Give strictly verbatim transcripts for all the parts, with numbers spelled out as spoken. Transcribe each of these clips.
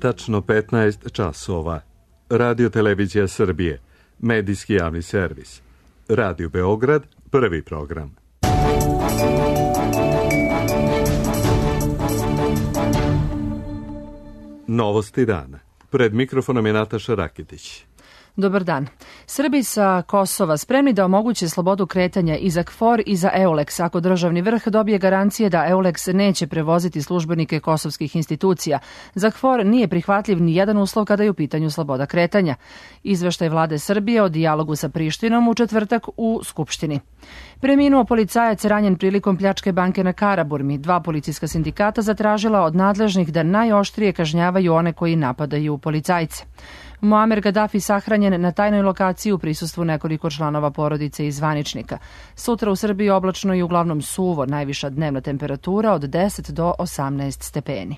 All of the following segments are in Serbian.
tačno petnaest časova. Radio Televizija Srbije, medijski javni servis. Radio Beograd, prvi program. Novosti dana. Pred mikrofonom je Nataša Rakitić. Dobar dan. Srbi sa Kosova spremni da omoguće slobodu kretanja i za KFOR i za EULEX ako državni vrh dobije garancije da EULEX neće prevoziti službenike kosovskih institucija. Za KFOR nije prihvatljiv ni jedan uslov kada je u pitanju sloboda kretanja. Izveštaj vlade Srbije o dijalogu sa Prištinom u četvrtak u Skupštini. Preminuo policajac ranjen prilikom pljačke banke na Karaburmi. Dva policijska sindikata zatražila od nadležnih da najoštrije kažnjavaju one koji napadaju policajce. Muamer Gaddafi sahranjen na tajnoj lokaciji u prisustvu nekoliko članova porodice i zvaničnika. Sutra u Srbiji oblačno i uglavnom suvo, najviša dnevna temperatura od deset do osamnaest stepeni.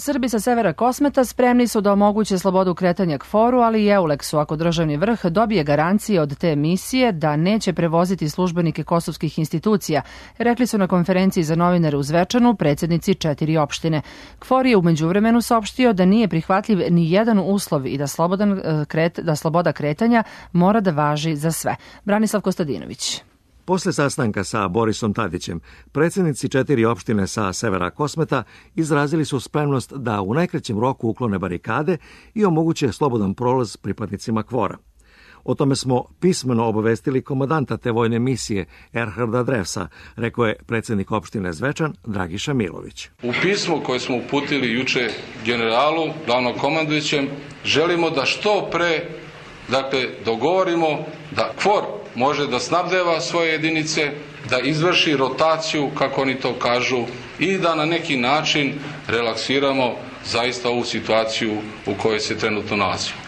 Srbi sa severa Kosmeta spremni su da omoguće slobodu kretanja KFOR-u, ali i EULEX-u ako državni vrh dobije garancije od te misije da neće prevoziti službenike kosovskih institucija, rekli su na konferenciji za novinare u Zvečanu predsjednici četiri opštine. KFOR je u međuvremenu saopštio da nije prihvatljiv ni jedan uslov i da, slobodan, kret, da sloboda kretanja mora da važi za sve. Branislav Kostadinović. Posle sastanka sa Borisom Tadićem, predsjednici četiri opštine sa severa Kosmeta izrazili su spremnost da u najkraćem roku uklone barikade i omoguće slobodan prolaz pripadnicima KFOR-a. O tome smo pismeno obavestili komandanta te vojne misije Erharda Drevsa, rekao je predsjednik opštine Zvečan Dragiša Milović. U pismu koje smo uputili juče generalu, glavnom komandujućem, želimo da što pre dakle, dogovorimo da KFOR može da snabdeva svoje jedinice, da izvrši rotaciju, kako oni to kažu, i da na neki način relaksiramo zaista ovu situaciju u kojoj se trenutno nalazimo.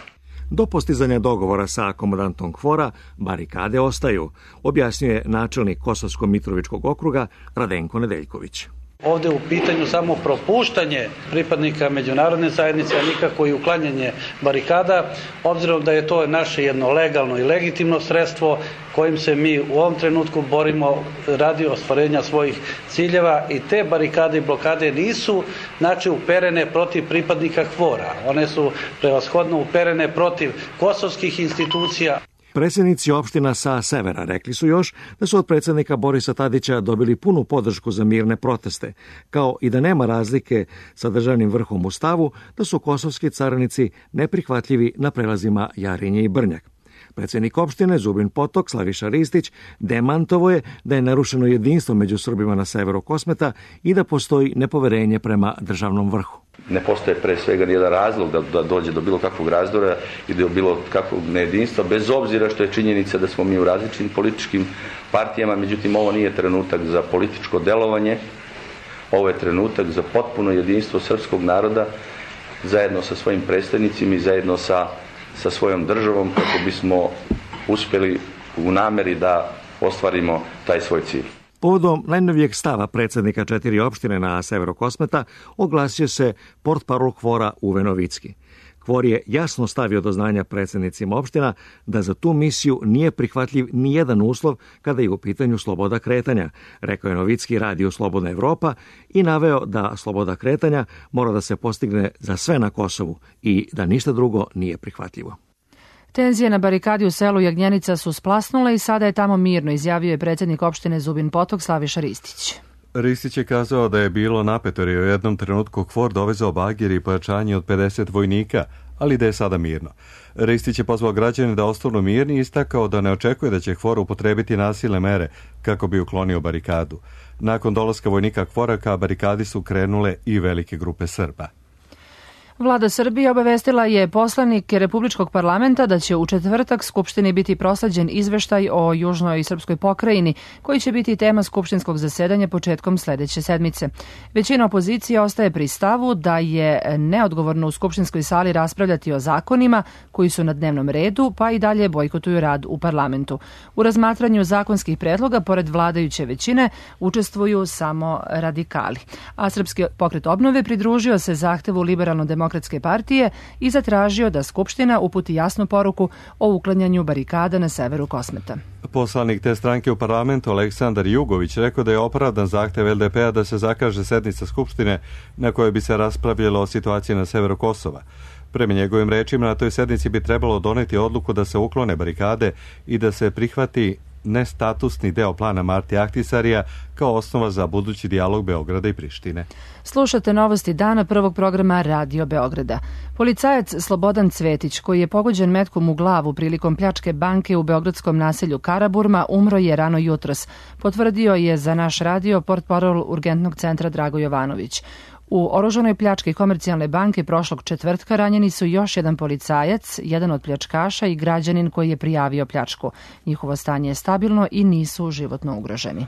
Do postizanja dogovora sa komandantom KFOR-a barikade ostaju, objasnjuje načelnik Kosovsko-Mitrovičkog okruga Radenko Nedeljković. Ovdje je u pitanju samo propuštanje pripadnika međunarodne zajednice, a nikako i uklanjanje barikada, obzirom da je to naše jedno legalno i legitimno sredstvo kojim se mi u ovom trenutku borimo radi ostvarenja svojih ciljeva i te barikade i blokade nisu znači uperene protiv pripadnika KFOR-a. One su prevashodno uperene protiv kosovskih institucija. Predsjednici opština sa severa rekli su još da su od predsjednika Borisa Tadića dobili punu podršku za mirne proteste, kao i da nema razlike sa državnim vrhom u stavu da su kosovski carinici neprihvatljivi na prelazima Jarinje i Brnjak. Predsjednik opštine Zubin Potok Slaviša Ristić demantovo je da je narušeno jedinstvo među Srbima na severu Kosmeta i da postoji nepoverenje prema državnom vrhu. Ne postoje pre svega nijedan razlog da, da dođe do bilo kakvog razdora i do bilo kakvog nejedinstva, bez obzira što je činjenica da smo mi u različitim političkim partijama, međutim ovo nije trenutak za političko delovanje, ovo je trenutak za potpuno jedinstvo srpskog naroda zajedno sa svojim predstavnicima i zajedno sa sa svojom državom kako bismo uspjeli u nameri da ostvarimo taj svoj cilj. Povodom najnovijeg stava predsjednika četiri opštine na severu Kosmeta oglasio se portparol KFOR-a Uve Novicki. KFOR je jasno stavio do znanja predsjednicima opština da za tu misiju nije prihvatljiv ni jedan uslov kada je u pitanju sloboda kretanja, rekao je Novicki radiju Slobodna Evropa i naveo da sloboda kretanja mora da se postigne za sve na Kosovu i da ništa drugo nije prihvatljivo. Tenzije na barikadi u selu Jagnjenica su splasnule i sada je tamo mirno, izjavio je predsjednik opštine Zubin Potok Slaviša Ristić. Ristić je kazao da je bilo napeto jer je u jednom trenutku KFOR dovezao bagir i pojačanje od pedeset vojnika, ali da je sada mirno. Ristić je pozvao građane da ostanu mirni i istakao da ne očekuje da će KFOR upotrebiti nasilne mere kako bi uklonio barikadu. Nakon dolaska vojnika KFOR-a ka barikadi su krenule i velike grupe Srba. Vlada Srbije obavestila je poslanike Republičkog parlamenta da će u četvrtak Skupštini biti prosleđen izveštaj o južnoj srpskoj pokrajini, koji će biti tema skupštinskog zasedanja početkom sledeće sedmice. Većina opozicije ostaje pri stavu da je neodgovorno u skupštinskoj sali raspravljati o zakonima koji su na dnevnom redu, pa i dalje bojkotuju rad u parlamentu. U razmatranju zakonskih predloga, pored vladajuće većine, učestvuju samo radikali. A Srpski pokret obnove pridružio se zahtevu liberalno-demokratskog socijaldemokratske partije i zatražio da Skupština uputi jasnu poruku o uklanjanju barikada na severu Kosmeta. Poslanik te stranke u parlamentu Aleksandar Jugović rekao da je opravdan zahtev el de pe a da se zakaže sednica Skupštine na kojoj bi se raspravljalo o situaciji na severu Kosova. Prema njegovim rečima, na toj sednici bi trebalo doneti odluku da se uklone barikade i da se prihvati nestatusni deo plana Marti Ahtisarija kao osnova za budući dijalog Beograda i Prištine. Slušate novosti dana prvog programa Radio Beograda. Policajac Slobodan Cvetić, koji je pogođen metkom u glavu prilikom pljačke banke u beogradskom naselju Karaburma, umro je rano jutros. Potvrdio je za naš radio portparol Urgentnog centra Drago Jovanović. U oružanoj pljački Komercijalne banke prošlog četvrtka ranjeni su još jedan policajac, jedan od pljačkaša i građanin koji je prijavio pljačku. Njihovo stanje je stabilno i nisu životno ugroženi.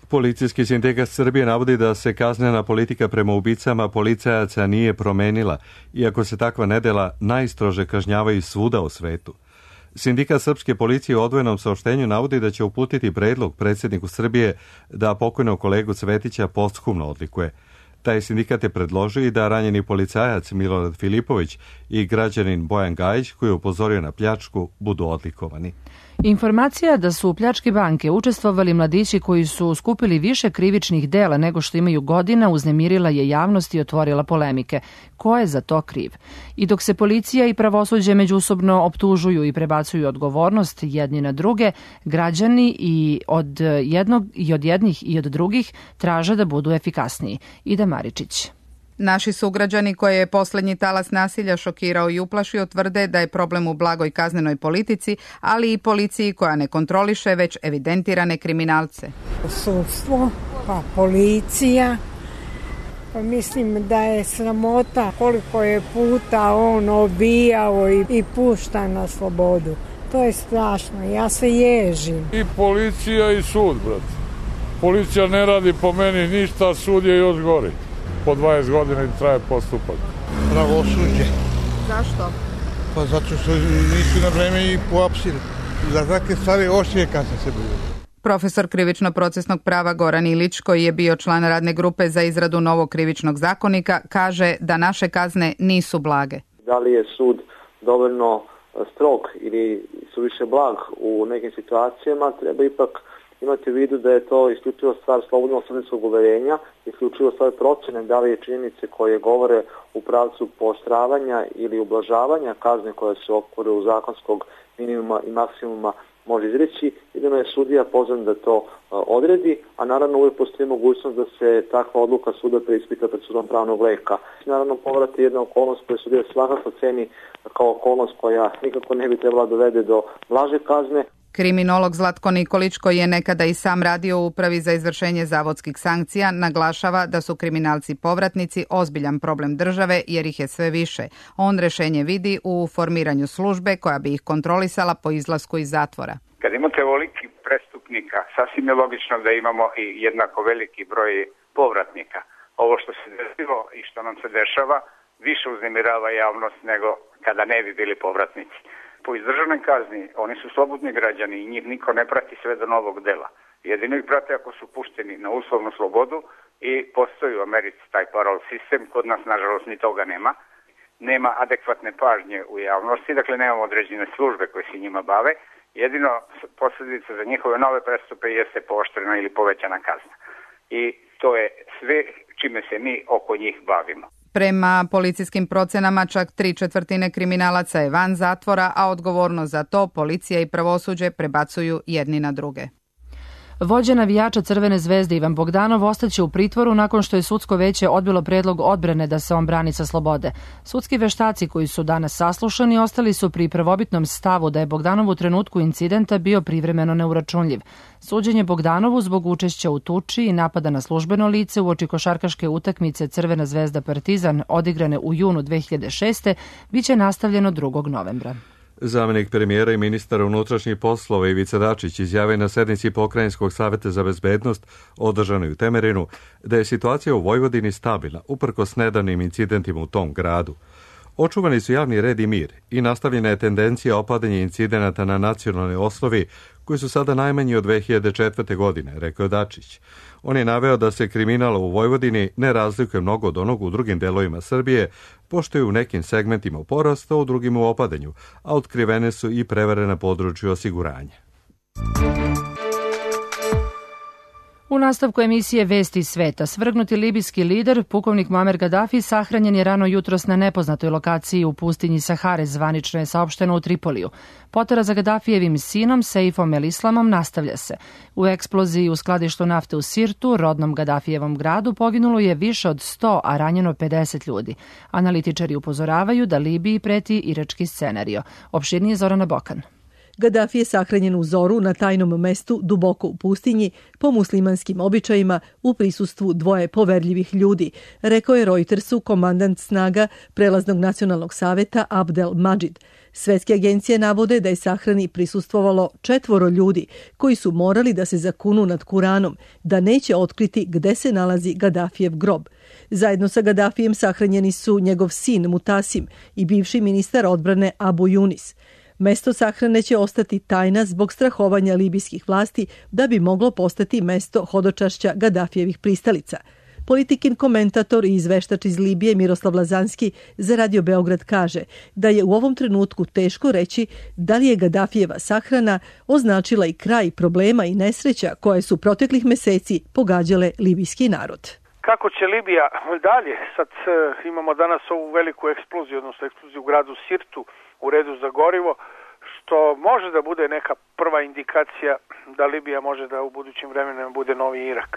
Policijski sindikat Srbije navodi da se kaznena politika prema ubicama policajaca nije promenila, iako se takva nedela najstrože kažnjavaju svuda u svetu. Sindikat srpske policije u odvojenom saopštenju navodi da će uputiti predlog predsjedniku Srbije da pokojnog kolegu Cvetića posthumno odlikuje. Taj sindikat je predložio i da ranjeni policajac Milorad Filipović i građanin Bojan Gajić, koji je upozorio na pljačku, budu odlikovani. Informacija da su u pljački banke učestvovali mladići koji su skupili više krivičnih dela nego što imaju godina uznemirila je javnost i otvorila polemike. Ko je za to kriv? I dok se policija i pravosuđe međusobno optužuju i prebacuju odgovornost jedni na druge, građani i od jednog i od jednih i od drugih traže da budu efikasniji. Ida Maričić. Naši sugrađani koje je poslednji talas nasilja šokirao i uplašio tvrde da je problem u blagoj kaznenoj politici, ali i policiji koja ne kontroliše već evidentirane kriminalce. Sudstvo, pa policija, pa mislim da je sramota koliko je puta on obijao i, i pušta na slobodu. To je strašno, ja se ježim. I policija i sud, brate. Policija ne radi po meni ništa, sud je još gori. Po dvadeset godina i traje postupak. Pravosuđe. Zašto? Pa zato što nisu na vreme i poapsili. Za takve stvari oštrije kazne se bude. Profesor krivično-procesnog prava Goran Ilić, koji je bio član radne grupe za izradu novog krivičnog zakonika, kaže da naše kazne nisu blage. Da li je sud dovoljno strog ili suviše blag u nekim situacijama, treba ipak imati u vidu da je to isključivo stvar slobodnog sudijskog uverenja, isključivo stvar procene da li je činjenice koje govore u pravcu pooštravanja ili ublažavanja kazne koje se okvore u zakonskog minimuma i maksimuma može izreći i da je sudija pozvan da to odredi, a naravno uvijek postoji mogućnost da se takva odluka suda preispita pred sudom pravnog leka. Naravno, povrati jedna okolnost koju sudija svakako ceni kao okolnost koja nikako ne bi trebala dovede do blaže kazne. Kriminolog Zlatko Nikolić, koji je nekada i sam radio u Upravi za izvršenje zavodskih sankcija, naglašava da su kriminalci povratnici ozbiljan problem države jer ih je sve više. On rešenje vidi u formiranju službe koja bi ih kontrolisala po izlasku iz zatvora. Kad imate ovoliki prestupnika, sasvim je logično da imamo i jednako veliki broj povratnika. Ovo što se desilo i što nam se dešava više uznemirava javnost nego kada ne bi bili povratnici. Po izdržanoj kazni, oni su slobodni građani i njih niko ne prati sve do novog dela. Jedino ih prate ako su pušteni na uslovnu slobodu i postoji u Americi taj parol sistem, kod nas nažalost ni toga nema. Nema adekvatne pažnje u javnosti, dakle nemamo određene službe koje se njima bave. Jedino posljedica za njihove nove prestupe jeste pooštrena ili povećana kazna. I to je sve čime se mi oko njih bavimo. Prema policijskim procenama čak tri četvrtine kriminalaca je van zatvora, a odgovornost za to policija i pravosuđe prebacuju jedni na druge. Vođa navijača Crvene zvezde Ivan Bogdanov ostaće u pritvoru nakon što je sudsko veće odbilo predlog odbrane da se on brani sa slobode. Sudski veštaci koji su danas saslušani ostali su pri prvobitnom stavu da je Bogdanov u trenutku incidenta bio privremeno neuračunljiv. Suđenje Bogdanovu zbog učešća u tuči i napada na službeno lice uoči košarkaške utakmice Crvena zvezda Partizan odigrane u junu dve hiljade šeste biće nastavljeno drugog novembra. Zamenik premijera i ministar unutrašnjih poslova Ivica Dačić izjavio na sednici Pokrajinskog saveta za bezbednost održanoj u Temerinu da je situacija u Vojvodini stabilna uprkos nedavnim incidentima u tom gradu. Očuvani su javni red i mir i nastavljena je tendencija opadanja incidenata na nacionalnoj osnovi koji su sada najmanji od dve hiljade četvrte. godine, rekao Dačić. On je naveo da se kriminal u Vojvodini ne razlikuje mnogo od onog u drugim delovima Srbije, pošto je u nekim segmentima u porastu, a u drugim u opadanju, a otkrivene su i prevare na području osiguranja. U nastavku emisije Vesti sveta, svrgnuti libijski lider, pukovnik Muamer Gaddafi, sahranjen je rano jutros na nepoznatoj lokaciji u pustinji Sahare, zvanično je saopšteno u Tripoliju. Potera za Gaddafijevim sinom, Seifom el Islamom, nastavlja se. U eksploziji u skladištu nafte u Sirtu, rodnom Gaddafijevom gradu, poginulo je više od sto, a ranjeno pedeset ljudi. Analitičari upozoravaju da Libiji preti irački scenario. Opširnije Zorana Bokan. Gaddafi je sahranjen u zoru na tajnom mestu duboko u pustinji po muslimanskim običajima u prisustvu dvoje poverljivih ljudi, rekao je Reutersu komandant snaga Prelaznog nacionalnog saveta Abdel Madžid. Svetske agencije navode da je sahrani prisustvovalo četvoro ljudi koji su morali da se zakunu nad Kuranom, da neće otkriti gde se nalazi Gaddafijev grob. Zajedno sa Gaddafijem sahranjeni su njegov sin Mutasim i bivši ministar odbrane Abu Yunis. Mesto sahrane će ostati tajna zbog strahovanja libijskih vlasti da bi moglo postati mesto hodočašća Gaddafijevih pristalica. Politikin komentator i izveštač iz Libije Miroslav Lazanski za Radio Beograd kaže da je u ovom trenutku teško reći da li je Gaddafijeva sahrana označila i kraj problema i nesreća koje su proteklih meseci pogađale libijski narod. Kako će Libija dalje? Sad imamo danas ovu veliku eksploziju, odnosno eksploziju u gradu Sirtu, u redu za gorivo, što može da bude neka prva indikacija da Libija može da u budućim vremenima bude novi Irak.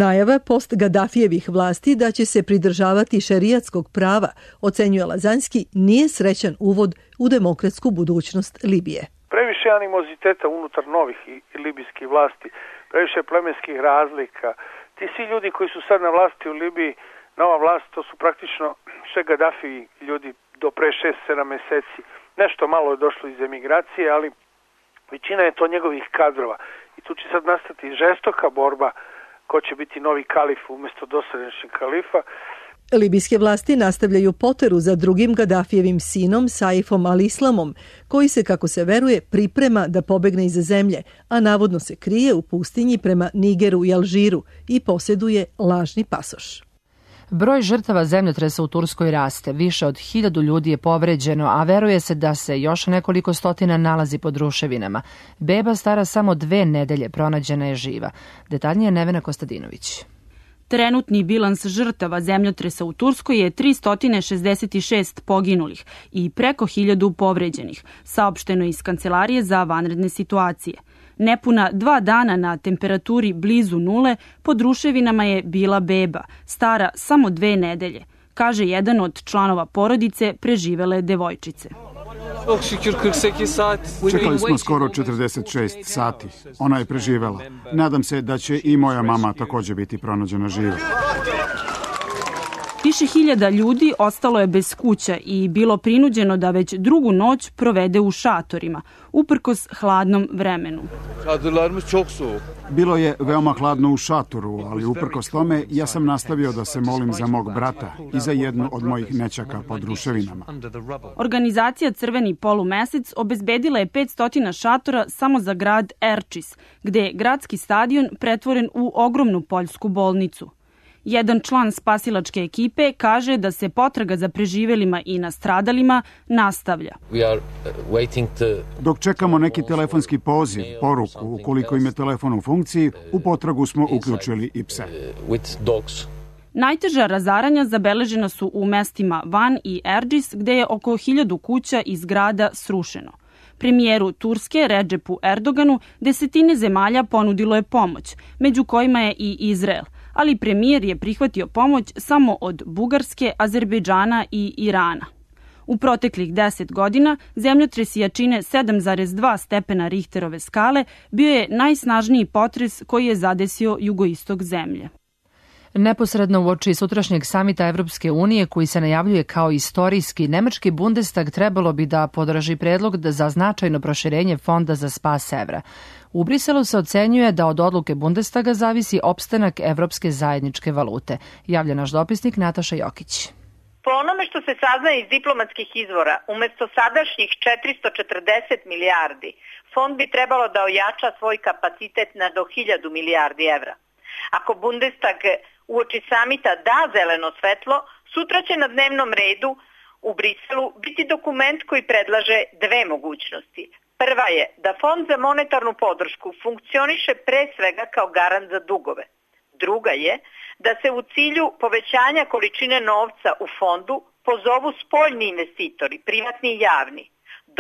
Najava post Gaddafijevih vlasti da će se pridržavati šerijatskog prava, ocenjuje Lazanski, nije srećan uvod u demokratsku budućnost Libije. Previše animoziteta unutar novih i libijskih vlasti, previše plemenskih razlika. Ti svi ljudi koji su sad na vlasti u Libiji, nova vlast, to su praktično sve Gaddafiji ljudi do pre šest sedam meseci. Nešto malo je došlo iz emigracije, ali većina je to njegovih kadrova. I tu će sad nastati žestoka borba ko će biti novi kalif umjesto dosadašnjeg kalifa. Libijske vlasti nastavljaju poteru za drugim Gaddafijevim sinom Saifom al-Islamom, koji se, kako se veruje, priprema da pobegne iz zemlje, a navodno se krije u pustinji prema Nigeru i Alžiru i posjeduje lažni pasoš. Broj žrtava zemljotresa u Turskoj raste. Više od hiljadu ljudi je povređeno, a veruje se da se još nekoliko stotina nalazi pod ruševinama. Beba stara samo dve nedelje pronađena je živa. Detaljnije Nevena Kostadinović. Trenutni bilans žrtava zemljotresa u Turskoj je tristo šezdeset šest poginulih i preko hiljadu povređenih, saopšteno iz Kancelarije za vanredne situacije. Nepuna dva dana na temperaturi blizu nule pod ruševinama je bila beba, stara samo dve nedelje, kaže jedan od članova porodice preživele devojčice. Čekali smo skoro četrdeset šest sati. Ona je preživela. Nadam se da će i moja mama također biti pronađena živa. Više hiljada ljudi ostalo je bez kuća i bilo prinuđeno da već drugu noć provede u šatorima, uprkos hladnom vremenu. Bilo je veoma hladno u šatoru, ali uprkos tome ja sam nastavio da se molim za mog brata i za jednu od mojih nećaka pod ruševinama. Organizacija Crveni polumesec obezbedila je petsto šatora samo za grad Erčis, gde je gradski stadion pretvoren u ogromnu poljsku bolnicu. Jedan član spasilačke ekipe kaže da se potraga za preživelima i nastradalima nastavlja. Dok čekamo neki telefonski poziv, poruku, ukoliko im je telefon u funkciji, u potragu smo uključili i pse. Najteža razaranja zabeležena su u mestima Van i Erđis, gde je oko hiljadu kuća iz grada srušeno. Premijeru Turske Redžepu Erdoganu desetine zemalja ponudilo je pomoć, među kojima je i Izrael, ali premijer je prihvatio pomoć samo od Bugarske, Azerbejdžana i Irana. U proteklih deset godina zemljotres jačine sedam zarez dva stepena Richterove skale bio je najsnažniji potres koji je zadesio jugoistok zemlje. Neposredno uoči sutrašnjeg samita Evropske unije, koji se najavljuje kao istorijski, nemački Bundestag trebalo bi da podrži predlog za značajno proširenje fonda za spas evra. U Briselu se ocenjuje da od odluke Bundestaga zavisi opstanak evropske zajedničke valute, javlja naš dopisnik Nataša Jokić. Po onome što se saznaje iz diplomatskih izvora, umesto sadašnjih četiristo četrdeset milijardi, fond bi trebalo da ojača svoj kapacitet na do hiljadu milijardi evra. Ako Bundestag uoči samita da zeleno svetlo, sutra će na dnevnom redu u Briselu biti dokument koji predlaže dve mogućnosti. Prva je da Fond za monetarnu podršku funkcioniše pre svega kao garant za dugove. Druga je da se u cilju povećanja količine novca u fondu pozovu spoljni investitori, privatni i javni.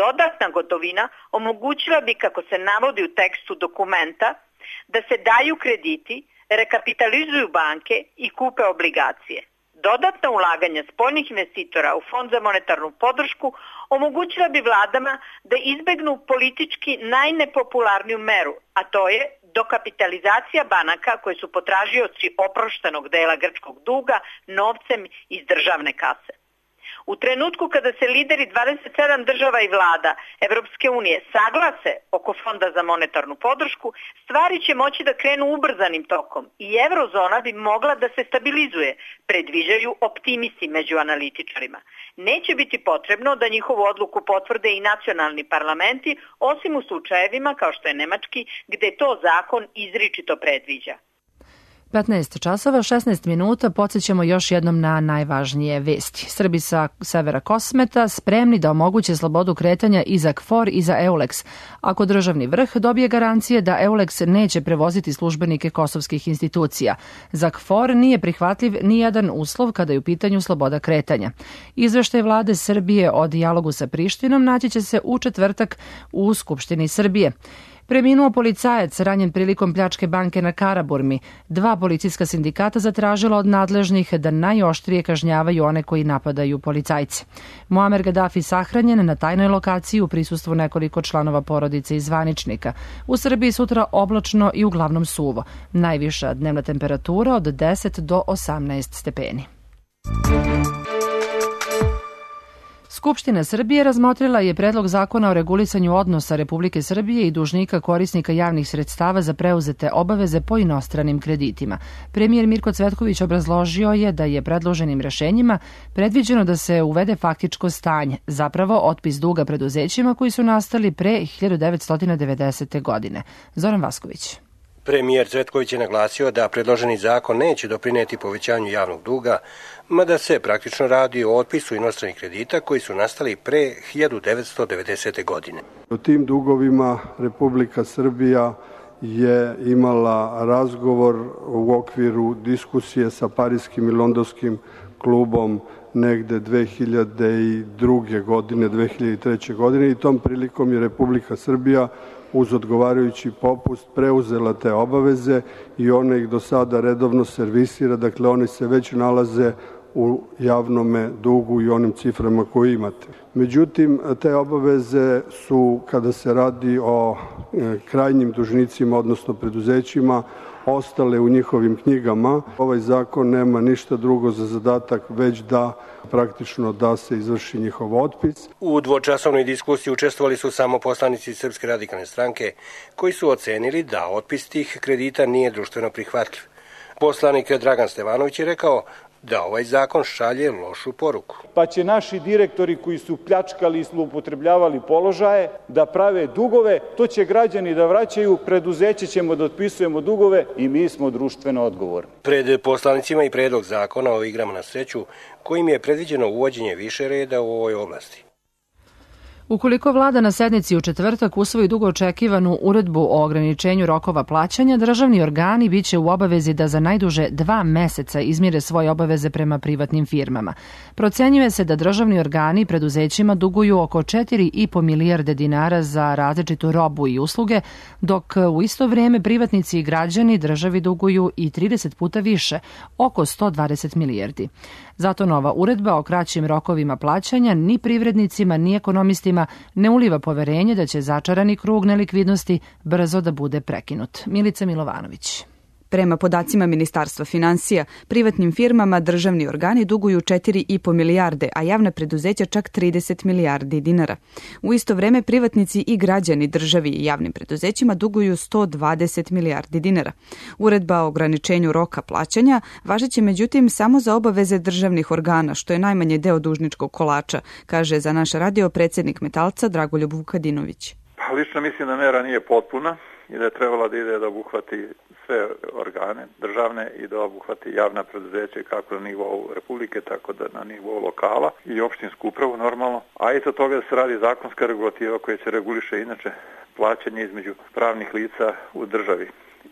Dodatna gotovina omogućila bi, kako se navodi u tekstu dokumenta, da se daju krediti, rekapitalizuju banke i kupe obligacije. Dodatna ulaganja spoljnih investitora u Fond za monetarnu podršku omogućila bi vladama da izbegnu politički najnepopularniju meru, a to je dokapitalizacija banaka koje su potražioci oproštenog dela grčkog duga novcem iz državne kase. U trenutku kada se lideri dvadeset sedam država i vlada Evropske unije saglase oko Fonda za monetarnu podršku, stvari će moći da krenu ubrzanim tokom i eurozona bi mogla da se stabilizuje, predviđaju optimisti među analitičarima. Neće biti potrebno da njihovu odluku potvrde i nacionalni parlamenti, osim u slučajevima kao što je nemački, gde to zakon izričito predviđa. petnaest časova, šesnaest minuta, podsjećamo još jednom na najvažnije vesti. Srbi sa severa Kosmeta spremni da omoguće slobodu kretanja i za KFOR i za EULEX, ako državni vrh dobije garancije da EULEX neće prevoziti službenike kosovskih institucija. Za KFOR nije prihvatljiv ni jedan uslov kada je u pitanju sloboda kretanja. Izveštaj vlade Srbije o dijalogu sa Prištinom naći će se u četvrtak u Skupštini Srbije. Preminuo policajac ranjen prilikom pljačke banke na Karaburmi. Dva policijska sindikata zatražila od nadležnih da najoštrije kažnjavaju one koji napadaju policajce. Muamer Gaddafi sahranjen na tajnoj lokaciji u prisustvu nekoliko članova porodice i zvaničnika. U Srbiji sutra oblačno i uglavnom suvo. Najviša dnevna temperatura od deset do osamnaest stepeni. Skupština Srbije razmotrila je predlog zakona o regulisanju odnosa Republike Srbije i dužnika korisnika javnih sredstava za preuzete obaveze po inostranim kreditima. Premijer Mirko Cvetković obrazložio je da je predloženim rešenjima predviđeno da se uvede faktičko stanje, zapravo otpis duga preduzećima koji su nastali pre hiljadu devetsto devedesete. godine. Zoran Vasković. Premijer Cvetković je naglasio da predloženi zakon neće doprineti povećanju javnog duga, mada se praktično radi o otpisu inostranih kredita koji su nastali pre hiljadu devetsto devedesete. godine. O tim dugovima Republika Srbija je imala razgovor u okviru diskusije sa Pariskim i Londonskim klubom negde dve hiljade druge. godine, dve hiljade treće. godine i tom prilikom je Republika Srbija uz odgovarajući popust preuzela te obaveze i ona ih do sada redovno servisira, dakle one se već nalaze u javnome dugu i onim ciframa koje imate. Međutim, te obaveze su, kada se radi o krajnjim dužnicima, odnosno preduzećima, ostale u njihovim knjigama. Ovaj zakon nema ništa drugo za zadatak, već da praktično da se izvrši njihov otpis. U dvočasovnoj diskusiji učestvovali su samo poslanici Srpske radikalne stranke, koji su ocenili da otpis tih kredita nije društveno prihvatljiv. Poslanik Dragan Stevanović je rekao da ovaj zakon šalje lošu poruku. Pa će naši direktori koji su pljačkali i zloupotrebljavali položaje da prave dugove, to će građani da vraćaju, preduzeće ćemo da otpisujemo dugove i mi smo društveno odgovorni. Pred poslanicima i predlog zakona o igrama na sreću, kojim je predviđeno uvođenje više reda u ovoj oblasti. Ukoliko vlada na sednici u četvrtak usvoji dugo očekivanu uredbu o ograničenju rokova plaćanja, državni organi biće u obavezi da za najduže dva meseca izmire svoje obaveze prema privatnim firmama. Procenjuje se da državni organi preduzećima duguju oko četiri i po milijarde dinara za različitu robu i usluge, dok u isto vrijeme privatnici i građani državi duguju i trideset puta više, oko sto dvadeset milijardi. Zato nova uredba o kraćim rokovima plaćanja ni privrednicima ni ekonomistima ne uliva poverenje da će začarani krug nelikvidnosti brzo da bude prekinut. Milica Milovanović. Prema podacima Ministarstva finansija, privatnim firmama državni organi duguju četiri i po milijarde, a javna preduzeća čak trideset milijardi dinara. U isto vreme privatnici i građani državi i javnim preduzećima duguju sto dvadeset milijardi dinara. Uredba o ograničenju roka plaćanja važeće međutim samo za obaveze državnih organa, što je najmanje deo dužničkog kolača, kaže za naš radio predsjednik Metalca Dragoljub Vukadinović. lično mislim da mera nije potpuna i da je trebala da ide da obuhvati sve organe državne i da obuhvati javna preduzeća kako na nivou Republike, tako da na nivou lokala i opštinsku upravu normalno. A isto toga da se radi zakonska regulativa koja će reguliše inače plaćanje između pravnih lica u državi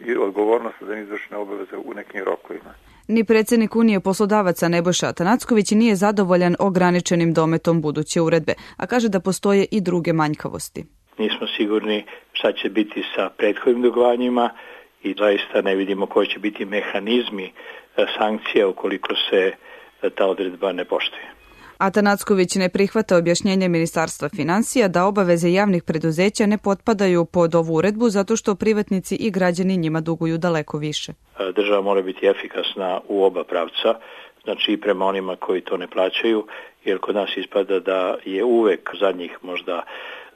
i odgovornost za izvršene obaveze u nekim rokovima. Ni predsjednik Unije poslodavaca Nebojša Atanacković nije zadovoljan ograničenim dometom buduće uredbe, a kaže da postoje i druge manjkavosti. Nismo sigurni šta će biti sa prethodnim dugovanjima i zaista ne vidimo koji će biti mehanizmi sankcija ukoliko se ta odredba ne poštuje. Atanacković ne prihvata objašnjenje Ministarstva financija da obaveze javnih preduzeća ne potpadaju pod ovu uredbu zato što privatnici i građani njima duguju daleko više. Država mora biti efikasna u oba pravca, znači i prema onima koji to ne plaćaju, jer kod nas ispada da je uvek zadnjih možda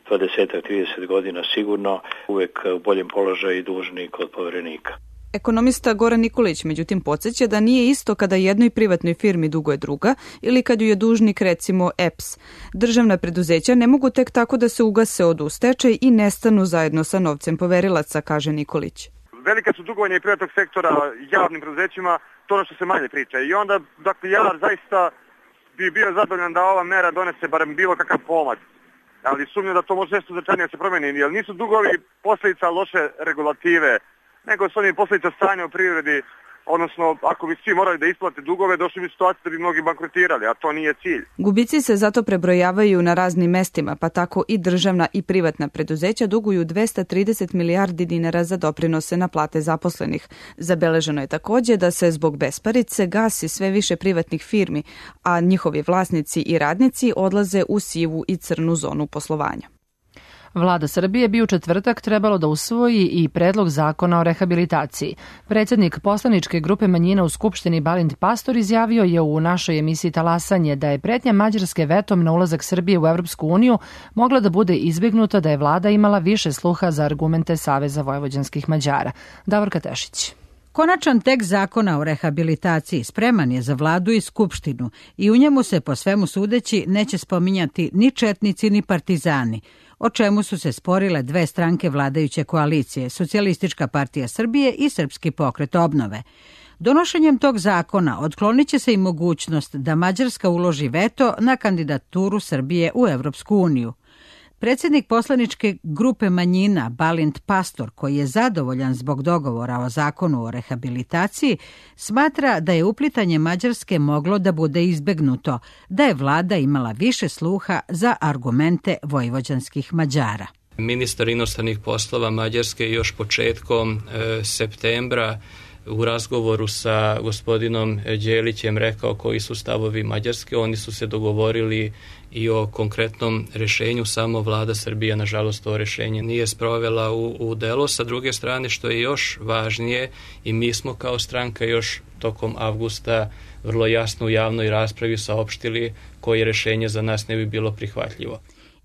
dvadeset do trideset godina sigurno uvek u boljem položaju dužnik od poverenika. Ekonomista Goran Nikolić međutim podsjeća da nije isto kada jednoj privatnoj firmi duguje druga ili kad ju je dužnik recimo E P S. Državna preduzeća ne mogu tek tako da se ugase od u stečaj i nestanu zajedno sa novcem poverilaca, kaže Nikolić. Velika su dugovanja i privatnog sektora javnim preduzećima, to ono što se manje priča. I onda, dakle, ja zaista bi bio zadovoljan da ova mera donese barem bilo kakav pomak. Ali sumnjam da to može nešto značajnije da se promeni, jer nisu dugovi posljedica loše regulative, nego su oni posljedica stanja u privredi, odnosno ako bi svi morali da isplate dugove, došli bi situaciju da bi mnogi bankrotirali, a to nije cilj. Gubici se zato prebrojavaju na raznim mestima, pa tako i državna i privatna preduzeća duguju dvesta trideset milijardi dinara za doprinose na plate zaposlenih. Zabeleženo je također da se zbog besparice gasi sve više privatnih firmi, a njihovi vlasnici i radnici odlaze u sivu i crnu zonu poslovanja. Vlada Srbije bi u četvrtak trebalo da usvoji i predlog zakona o rehabilitaciji. Predsjednik poslaničke grupe manjina u Skupštini Balint Pastor izjavio je u našoj emisiji Talasanje da je pretnja Mađarske vetom na ulazak Srbije u Evropsku uniju mogla da bude izbjegnuta da je vlada imala više sluha za argumente Saveza vojvođanskih Mađara. Davorka Tešić. Konačan tekst zakona o rehabilitaciji spreman je za vladu i skupštinu i u njemu se po svemu sudeći neće spominjati ni četnici ni partizani, o čemu su se sporile dve stranke vladajuće koalicije, Socijalistička partija Srbije i Srpski pokret obnove. Donošenjem tog zakona otklonit će se i mogućnost da Mađarska uloži veto na kandidaturu Srbije u Evropsku uniju. Predsjednik poslaničke grupe manjina Balint Pastor, koji je zadovoljan zbog dogovora o zakonu o rehabilitaciji, smatra da je uplitanje Mađarske moglo da bude izbegnuto, da je vlada imala više sluha za argumente vojvođanskih Mađara. Ministar inostranih poslova Mađarske još početkom e, septembra u razgovoru sa gospodinom Đelićem rekao koji su stavovi Mađarske. Oni su se dogovorili i o konkretnom rešenju, samo vlada Srbije nažalost to rešenje nije sprovela u, u delo. Sa druge strane, što je još važnije, i mi smo kao stranka još tokom avgusta vrlo jasno u javnoj raspravi saopštili koje rešenje za nas ne bi bilo prihvatljivo.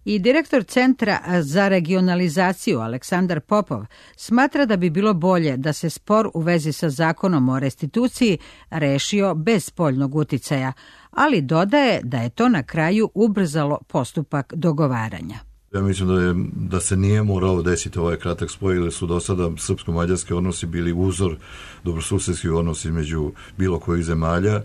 I direktor Centra za regionalizaciju Aleksandar Popov smatra da bi bilo bolje da se spor u vezi sa zakonom o restituciji rešio bez spoljnog uticaja, ali dodaje da je to na kraju ubrzalo postupak dogovaranja. Ja mislim da, je, da se nije moralo desiti ovaj kratak spoj, jer su do sada srpsko-mađarski odnosi bili uzor dobrosusedskih odnosi između bilo kojih zemalja.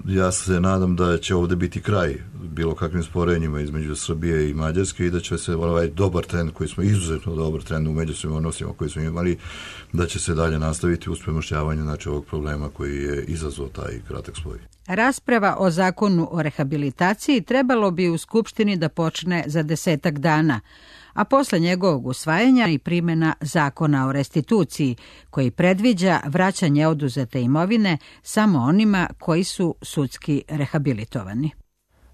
Ja se nadam da će ovdje biti kraj bilo kakvim sporenjima između Srbije i Mađarske i da će se ovaj dobar trend koji smo izuzetno dobar trend u međusobnim odnosima koji smo imali, da će se dalje nastaviti uz premošćavanje znači ovog problema koji je izazvao taj kratak spoj. Rasprava o zakonu o rehabilitaciji trebalo bi u Skupštini da počne za desetak dana, a posle njegovog usvajanja i primjena zakona o restituciji, koji predviđa vraćanje oduzete imovine samo onima koji su sudski rehabilitovani.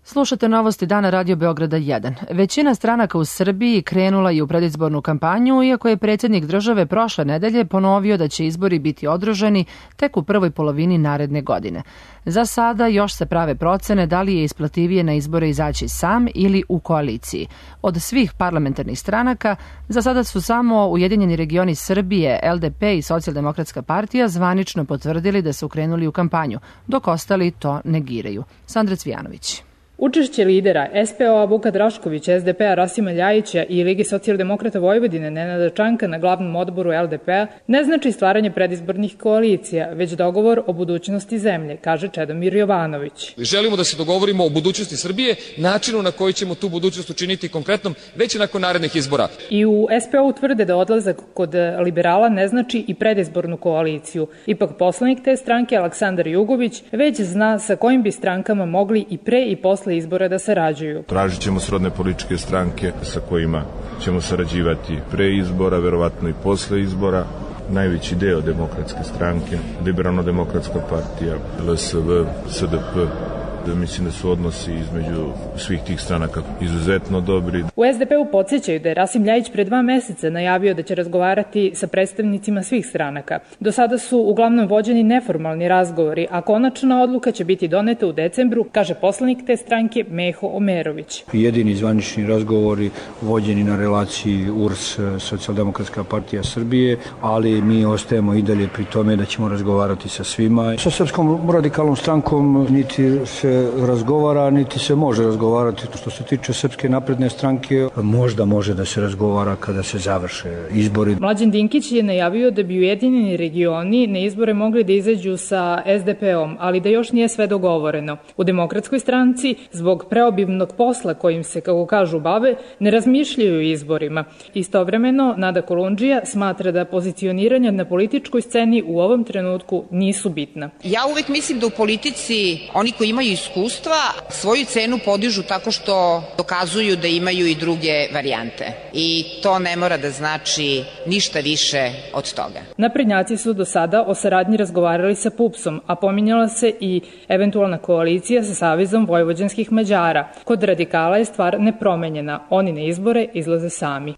Slušate novosti dana Radio Beograda jedan. Većina stranaka u Srbiji krenula je u predizbornu kampanju, iako je predsjednik države prošle nedelje ponovio da će izbori biti održani tek u prvoj polovini naredne godine. Za sada još se prave procene da li je isplativije na izbore izaći sam ili u koaliciji. Od svih parlamentarnih stranaka za sada su samo Ujedinjeni regioni Srbije, L D P i Socijaldemokratska partija zvanično potvrdili da su krenuli u kampanju, dok ostali to negiraju. Sandra Cvijanović. Učešće lidera S P O-a Vuka Draškovića, S D P-a Rasima Ljajića i Ligi socijaldemokrata Vojvodine Nenada Čanka na glavnom odboru L D P-a ne znači stvaranje predizbornih koalicija, već dogovor o budućnosti zemlje, kaže Čedomir Jovanović. Želimo da se dogovorimo o budućnosti Srbije, načinu na koji ćemo tu budućnost učiniti konkretnom već nakon narednih izbora. I u S P O-u tvrde da odlazak kod liberala ne znači i predizbornu koaliciju. Ipak poslanik te stranke Aleksandar Jugović već zna sa kojim bi strankama mogli i pre i posle izbora da sarađuju. Tražit ćemo srodne političke stranke sa kojima ćemo sarađivati pre izbora, verovatno i posle izbora. Najveći deo demokratske stranke, Liberalno-demokratska partija, L S V, S D P, da mislim da su odnosi između svih tih stranaka izuzetno dobri. U S D P-u podsjećaju da je Rasim Ljajić pre dva meseca najavio da će razgovarati sa predstavnicima svih stranaka. Do sada su uglavnom vođeni neformalni razgovori, a konačna odluka će biti doneta u decembru, kaže poslanik te stranke Meho Omerović. Jedini zvanični razgovori vođeni na relaciji U R S, Socijaldemokratska partija Srbije, ali mi ostajemo i dalje pri tome da ćemo razgovarati sa svima. Sa Srpskom radikalnom strankom niti se razgovara, niti se može razgovarati. Što se tiče Srpske napredne stranke, možda može da se razgovara kada se završe izbori. Mlađan Dinkić je najavio da bi Ujedinjeni regioni na izbore mogli da izađu sa S D P-om, ali da još nije sve dogovoreno. U Demokratskoj stranci, zbog preobimnog posla kojim se, kako kažu, bave, ne razmišljaju o izborima. Istovremeno, Nada Kolundžija smatra da pozicioniranja na političkoj sceni u ovom trenutku nisu bitna. Ja uvek mislim da u politici oni koji imaju iskustva svoju cenu podižu tako što dokazuju da imaju i druge varijante. I to ne mora da znači ništa više od toga. Naprednjaci su do sada o saradnji razgovarali sa P U P S-om, a pominjala se i eventualna koalicija sa Savezom vojvođanskih Mađara. Kod radikala je stvar nepromenjena. Oni na izbore izlaze sami.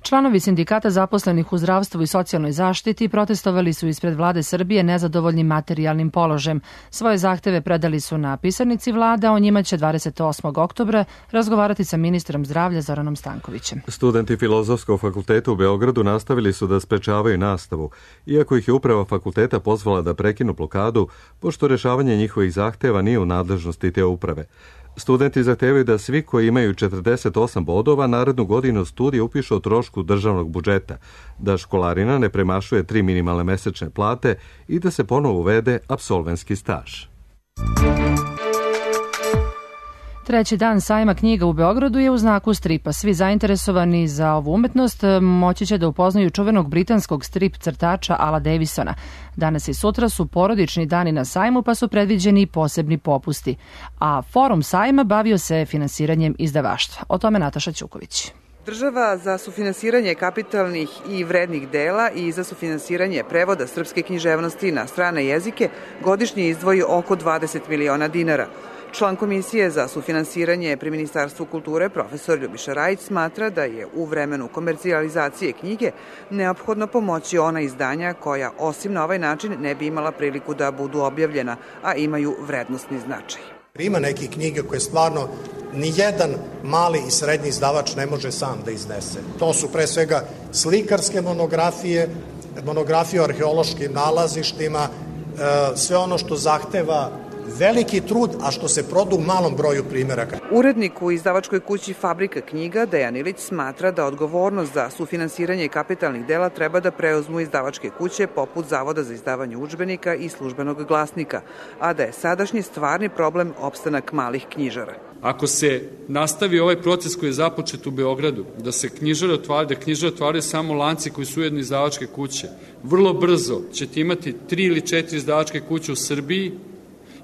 Članovi sindikata zaposlenih u zdravstvu i socijalnoj zaštiti protestovali su ispred vlade Srbije nezadovoljnim materijalnim položajem. Svoje zahteve predali su na pisarnici vlade, a o njima će dvadeset osmog oktobra razgovarati sa ministrom zdravlja Zoranom Stankovićem. Studenti Filozofskog fakulteta u Beogradu nastavili su da sprečavaju nastavu, iako ih je uprava fakulteta pozvala da prekinu blokadu, pošto rešavanje njihovih zahteva nije u nadležnosti te uprave. Studenti zahtevaju da svi koji imaju četrdeset osam bodova narednu godinu studije upišu o trošku državnog budžeta, da školarina ne premašuje tri minimalne mesečne plate i da se ponovo uvede apsolventski staž. Treći dan sajma knjiga u Beogradu je u znaku stripa. Svi zainteresovani za ovu umetnost moći će da upoznaju čuvenog britanskog strip crtača Ala Davisona. Danas i sutra su porodični dani na sajmu, pa su predviđeni posebni popusti. A forum sajma bavio se finansiranjem izdavaštva. O tome Nataša Ćuković. Država za sufinansiranje kapitalnih i vrednih dela i za sufinansiranje prevoda srpske književnosti na strane jezike godišnje izdvoji oko dvadeset miliona dinara. Član Komisije za sufinansiranje pri Ministarstvu kulture, profesor Ljubiša Rajić, smatra da je u vremenu komercijalizacije knjige neophodno pomoći ona izdanja koja, osim na ovaj način, ne bi imala priliku da budu objavljena, a imaju vrednostni značaj. Ima neke knjige koje stvarno nijedan mali i srednji izdavač ne može sam da iznese. To su pre svega slikarske monografije, monografije o arheološkim nalazištima, sve ono što zahteva veliki trud, a što se proda u malom broju primjeraka. Urednik u izdavačkoj kući Fabrika knjiga Dejan Ilić smatra da odgovornost za sufinansiranje kapitalnih dela treba da preuzmu izdavačke kuće poput Zavoda za izdavanje udžbenika i Službenog glasnika, a da je sadašnji stvarni problem opstanak malih knjižara. Ako se nastavi ovaj proces koji je započet u Beogradu, da se knjižare otvaraju, da knjižare otvaraju samo lanci koji su ujedno izdavačke kuće, vrlo brzo ćete imati tri ili četiri izdavačke kuće u Srbiji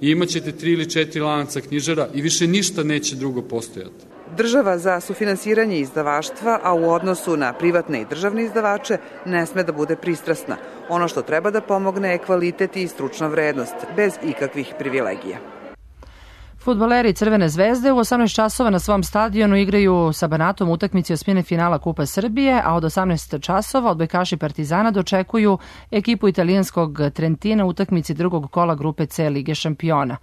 i imat ćete tri ili četiri lanca knjižara i više ništa neće drugo postojati. Država za sufinansiranje izdavaštva, a u odnosu na privatne i državne izdavače, ne sme da bude pristrasna. Ono što treba da pomogne je kvalitet i stručna vrednost, bez ikakvih privilegija. Fudbaleri Crvene zvezde u osamnaest časova na svom stadionu igraju sa Banatom utakmici osmine finala Kupa Srbije, a od osamnaest časova odbojkaši Partizana dočekuju ekipu italijanskog Trentina u utakmici drugog kola grupe C Lige šampiona.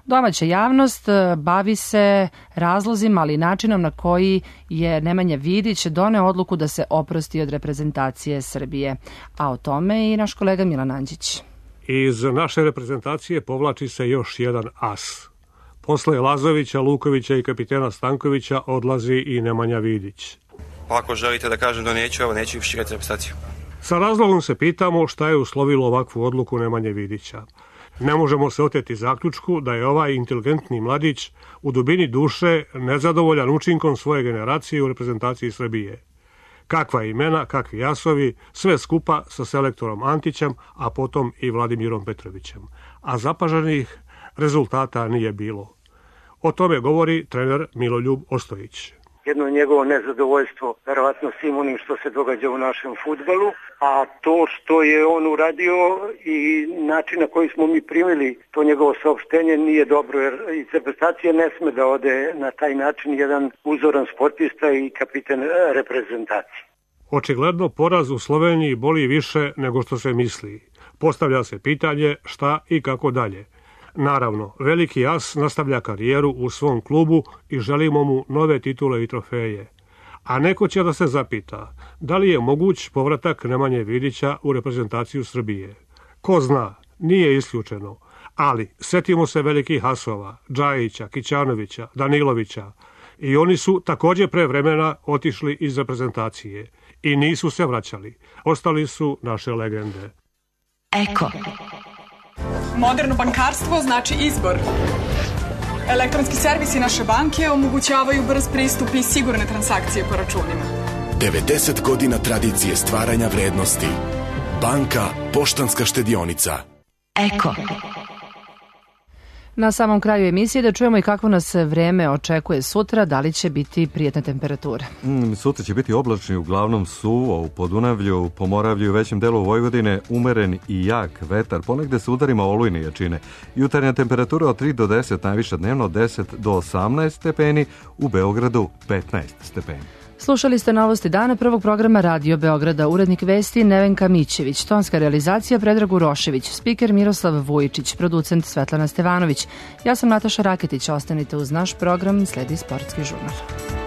Domaća javnost bavi se razlozima, ali i načinom na koji je Nemanja Vidić doneo odluku da se oprosti od reprezentacije Srbije. A o tome i naš kolega Milan Anđić. Iz naše reprezentacije povlači se još jedan as. Posle Lazovića, Lukovića i kapitena Stankovića odlazi i Nemanja Vidić. Pa ako želite da kažem da neću, evo neću širati reprezentaciju. Sa razlogom se pitamo šta je uslovilo ovakvu odluku Nemanje Vidića. Ne možemo se oteti zaključku da je ovaj inteligentni mladić u dubini duše nezadovoljan učinkom svoje generacije u reprezentaciji Srbije. Kakva imena, kakvi jasovi, sve skupa sa selektorom Antićem, a potom i Vladimirom Petrovićem. A zapaženih rezultata nije bilo. O tome govori trener Miloljub Ostojić. Jedno njegovo nezadovoljstvo, verovatno svim onim što se događa u našem fudbalu, a to što je on uradio i način na koji smo mi primili to njegovo saopštenje nije dobro, jer iz reprezentacije ne sme da ode na taj način jedan uzoran sportista i kapiten reprezentacije. Očigledno poraz u Sloveniji boli više nego što se misli. Postavlja se pitanje šta i kako dalje. Naravno, veliki as nastavlja karijeru u svom klubu i želimo mu nove titule i trofeje. A neko će da se zapita, da li je moguć povratak Nemanje Vidića u reprezentaciju Srbije. Ko zna, nije isključeno, ali setimo se velikih asova, Džajića, Kićanovića, Danilovića, i oni su također pre vremena otišli iz reprezentacije i nisu se vraćali. Ostali su naše legende. Eko. Moderno bankarstvo znači izbor. Elektronski servisi naše banke omogućavaju brz pristup i sigurne transakcije po računima. devedeset godina tradicije stvaranja vrednosti. Banka Poštanska štedionica. Eko. Na samom kraju emisije da čujemo i kakvo nas vreme očekuje sutra, da li će biti prijetne temperature. Mm, sutra će biti oblačni, uglavnom suvo, u Podunavlju, Pomoravlju i većem delu Vojvodine umeren i jak vetar, ponegde sa udarima olujne jačine. Jutarnja temperatura od tri do deset, najviša dnevno od deset do osamnaest stepeni, u Beogradu petnaest stepeni. Slušali ste novosti dana prvog programa Radio Beograda, urednik vesti Nevenka Mićević, tonska realizacija Predrag Urošević, spiker Miroslav Vujičić, producent Svetlana Stevanović. Ja sam Nataša Raketić, ostanite uz naš program, sledi sportski žurnal.